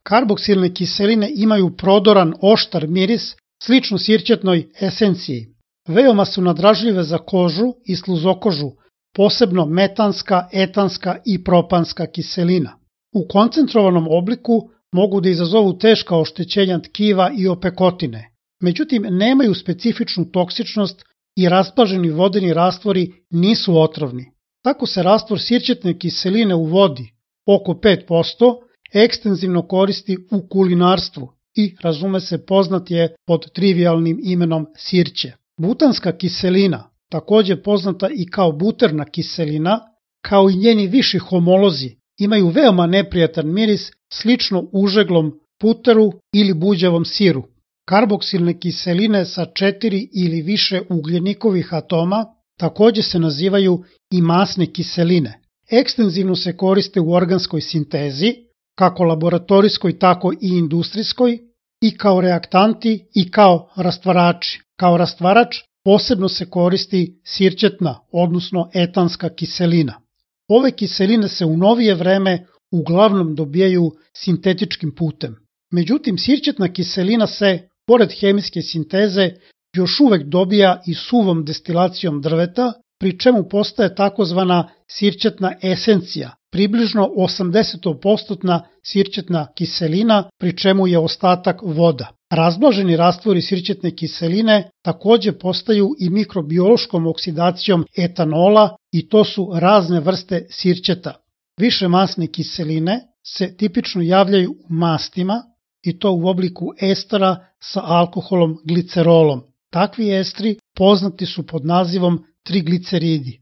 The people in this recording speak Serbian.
Karboksilne kiseline imaju prodoran, oštar miris, slično sirćetnoj esenciji. Veoma su nadražljive za kožu i sluzokožu, posebno metanska, etanska i propanska kiselina. U koncentrovanom obliku mogu da izazovu teška oštećenja tkiva i opekotine, međutim nemaju specifičnu toksičnost i raspaženi vodeni rastvori nisu otrovni. Tako se rastvor sirćetne kiseline u vodi, oko 5%, ekstenzivno koristi u kulinarstvu i, razume se, poznat je pod trivijalnim imenom sirće. Butanska kiselina, takođe poznata i kao buterna kiselina, kao i njeni viši homolozi, imaju veoma neprijatan miris slično užeglom puteru ili buđavom siru. Karboksilne kiseline sa 4 ili više ugljenikovih atoma takođe se nazivaju i masne kiseline. Ekstenzivno se koriste u organskoj sintezi, kako laboratorijskoj tako i industrijskoj, i kao reaktanti i kao rastvarači. Kao rastvarač posebno se koristi sirćetna, odnosno etanska kiselina. Ove kiseline se u novije vreme uglavnom dobijaju sintetičkim putem. Međutim, sirćetna kiselina se, pored hemijske sinteze, još uvek dobija i suvom destilacijom drveta, pri čemu postaje takozvana sirćetna esencija, približno 80% sirćetna kiselina, pri čemu je ostatak voda. Razblaženi rastvori sirćetne kiseline takođe postaju i mikrobiološkom oksidacijom etanola i to su razne vrste sirćeta. Više masne kiseline se tipično javljaju u mastima i to u obliku estera sa alkoholom glicerolom. Takvi estri poznati su pod nazivom trigliceridi.